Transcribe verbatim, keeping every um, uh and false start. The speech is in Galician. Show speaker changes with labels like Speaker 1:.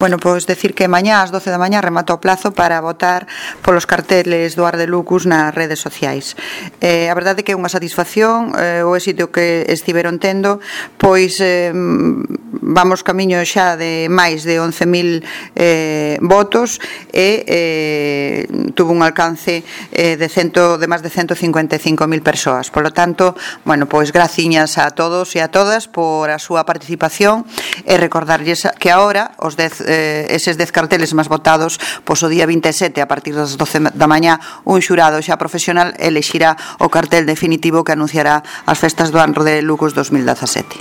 Speaker 1: Bueno, pois decir que mañá ás doce da mañá remata o plazo para votar polos carteles do Ar de Lucus nas redes sociais. Eh, a verdade é que é unha satisfacción eh, o éxito que estiveron tendo, pois eh, vamos camiño xa de máis de once mil eh, votos e eh, tuvo un alcance eh, de, cento, de máis de ciento cincuenta e cinco mil persoas. Por lo tanto, bueno, pois graciñas a todos e a todas por a súa participación e recordarlles que agora os dez Eh, eses dez carteles máis votados, pois o día vinte e sete a partir das doce da mañá un xurado xa profesional elexirá o cartel definitivo que anunciará as festas do Ar de Lucus dos mil dezasete.